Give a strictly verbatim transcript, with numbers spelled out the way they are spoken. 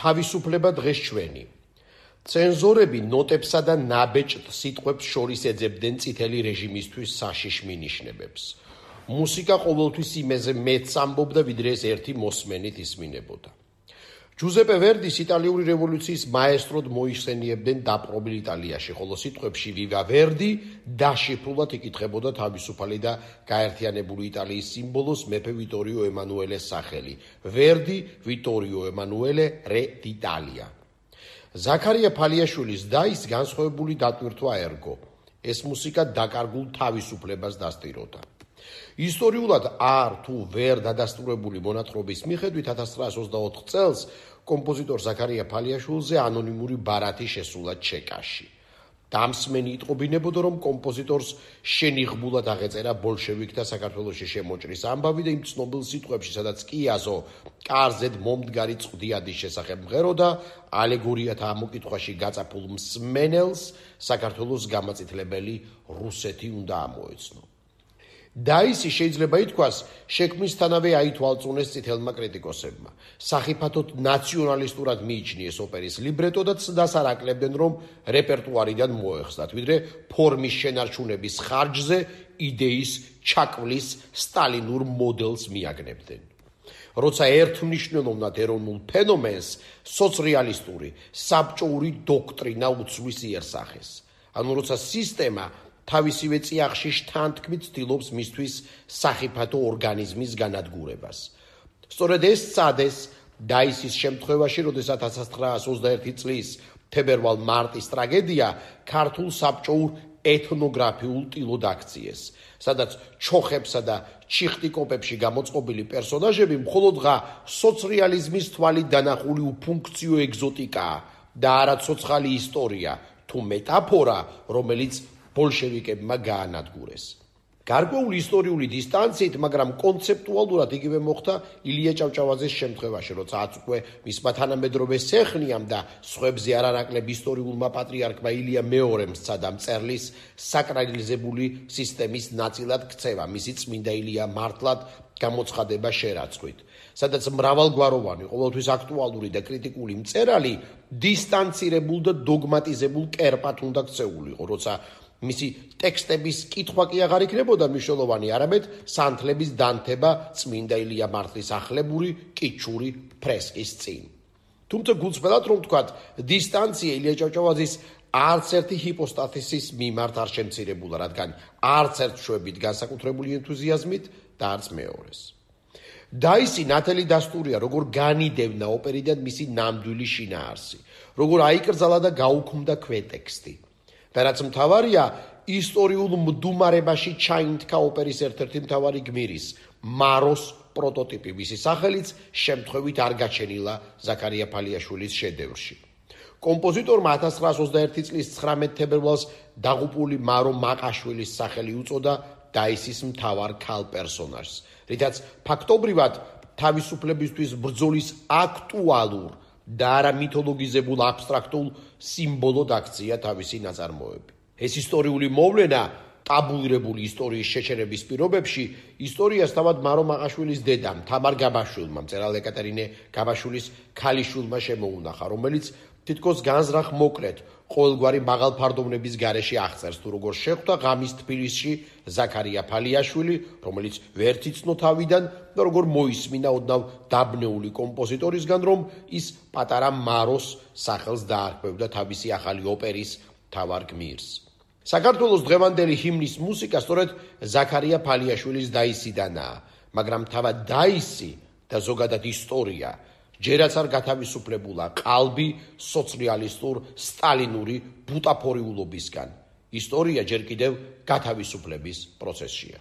თავისუფლება დღეს ჩვენი. Цензორები ნოტებსა და ნაბეჭდ სიტყვებს შორის ეძებდნენ წითელი რეჟიმისთვის საშიშ მინიშნებებს. მუსიკა ყოველთვის იმაზე მეც ამბობდა, ვიდრე ეს ერთი მოსმენით ისმინებოდა. ჯუზეპე ვერდის იტალიური რევოლუციის მაესტროდ მოიხსენიებდნენ დაპყრობილ იტალიაში, ხოლო სიტყვებში ვივა ვერდი დაშიფრულად იკითხებოდა თავისუფალი და გაერთიანებული იტალიის სიმბოლოს მეფე ვიტორიო ემანუელეს სახელი. ვერდი ვიტორიო ემანუელე რე დ'იტალია. ზაქარია ფალიაშვილის დაის განსხვავებული დატვირთვა ერგო. ეს მუსიკა დაკარგულ თავისუფლებას დასტიროდა. ისტორიულად არ თუ ვერ დადასტურებული მონათხრობის მიხედვით ათას ცხრაას ოცდაოთხ წელს კომპოზიტორ ზაქარია ფალიაშვილზე ანონიმური ბარათი შესულა ჩეკაში. დამსმენი იტყობინებოდა, რომ კომპოზიტორს შენიღბულად აღეწერა ბოლშევიკთა საქართველოში შემოჭრის ამბავი და იმ ცნობილ სიტყვებში, სადაც კიაზო კარზედ მომდგარი წვდიადის შესახებ მღეროდა, ალეგორიათა ამოკითხვაში გაწაფულ მსმენელს საქართველოს გამაწითლებელი რუსეთი უნდა ამოეცნო. დაისი შეიძლება ითქვას, შექმნისთანავე აითვალწუნეს წითელმა კრიტიკოსებმა. სახიფათოდ ნაციონალისტურად მიიჩნიეს ოპერის ლიბრეტო და ცდას არ აკლებდნენ, რომ რეპერტუარიდან მოეხსნათ, ვიდრე ფორმის შენარჩუნების ხარჯზე იდეის ჩაკვლის სტალინურ მოდელს მიაგნებდნენ. როცა ერთმნიშვნელოვნად ეროვნულ ფენომენს სოცრეალისტური, საბჭოური დოქტრინა უცვლის იერსახეს. ანუ როცა სისტემა თავისივე წიაღში შთანთქმით ცდილობს მისთვის სახიფათო ორგანიზმის განადგურებას. სწორედ ეს წადეს დაისის შემთხვევაში, როდესაც ათას ცხრაას ოცდაერთი წლის თებერვალ-მარტის ტრაგედია ქართულ საბჭოურ ეთნოგრაფიულ ტილოდ აქციეს, სადაც ჩოხებსა და ჩიხტიკოპებში გამოწყობილი პერსონაჟები მხოლოდღა სოცრეალიზმის თვალით დანახული უფუნქციო ეგზოტიკაა და არა ცოცხალი ისტორია თუ მეტაფორა, რომელიც ბოლშევიკებმა გაანადგურეს. გარკვეული ისტორიული დისტანციით, მაგრამ კონცეპტუალურად იგივე მოხდა ილია ჭავჭავაძის შემთხვევაში, როცა ათს უკვე მისმა თანამედროვე სეხნიამ და სხვებზე არანაკლებ ისტორიულმა პატრიარქმა ილია მეორემ სცადა მწერლის საკრალიზებული სისტემის ნაწილად ქცევა, მისი წმინდა ილია მართლად გამოცხადება შერაცხვით, სადაც მრავალგვაროვანი, ყოველთვის აქტუალური და კრიტიკული მწერალი დისტანცირებულ და დოგმატიზებულ კერპად უნდა ქცეულიყო, როცა მისი ტექსტების კითხვა კი აღარ იქნებოდა მნიშვნელოვანი, არამედ სანთლების დანთება წმინდა ილია მართლის ახლებური კიჩური ფრესკის წინ. თუმცა გულწრფელად რომ ვთქვათ, დისტანცია ილია ჭავჭავაძის არც ერთი ჰიპოსტათისის მიმართ არ შემცირებულა, რადგან არც ერთ შვებით განსაკუთრებული ენთუზიაზმით და არც მეორეს. დაისი ნათელი დასტურია, როგორ განიდევნა ოპერიდან მისი ნამდვილი შინაარსი, როგორ აიკრძალა და გაუქმდა ქვეტექსტი. და რაც მთავარია, ისტორიულ მდუმარებაში ჩაინთქა ოპერის ერთ-ერთი მთავარი გმირის, მაროს პროტოტიპი, მისი სახელიც შემთხვევით არ გაჩენილა ზაქარია ფალიაშვილის შედევრში. კომპოზიტორმა ათას ცხრაას ოცდაერთი წლის ცხრამეტ თებერვალს დაღუპული მარო მაყაშვილის სახელი უწოდა დაისის მთავარ ქალ პერსონაჟს, რითაც ფაქტობრივად თავისუფლებისთვის ბრძოლის აქტუალურ და არა მითოლოგიზებულ აბსტრაქტულ სიმბოლოდ აქცია თავისი ნაწარმოები. ეს ისტორიული მოვლენა ტაბუირებული ისტორიის შეჩერების პირობებში ისტორიას თავად მარო მაყაშვილის დედამ, თამარ გაბაშვილმა, მწერალ ეკატერინე გაბაშვილის ქალიშვილმა შემოუნახა, რომელიც თითქოს განზრახ მოკლედ ყოველგვარი მაღალფარდოვნების გარეშე აღწერს, თუ როგორ შეხვდა ღამის თბილისში ზაქარია ფალიაშვილი, რომელიც ვერ იცნო თავიდან და როგორ მოისმინა ოდნავ დაბნეული კომპოზიტორისგან, რომ ის პატარა მაროს სახელს დაარქვევდა თავისი ახალი ოპერის მთავარ გმირს. საქართველოს დღევანდელი ჰიმნის მუსიკა სწორედ ზაქარია ფალიაშვილის დაისიდანაა, მაგრამ თავად დაისი და ზოგადად ისტორია ჯერაც არ გათავისუფლებულა ყალბი სოციალისტურ სტალინური ბუტაფორიულობისგან. ისტორია ჯერ კიდევ გათავისუფლების პროცესშია.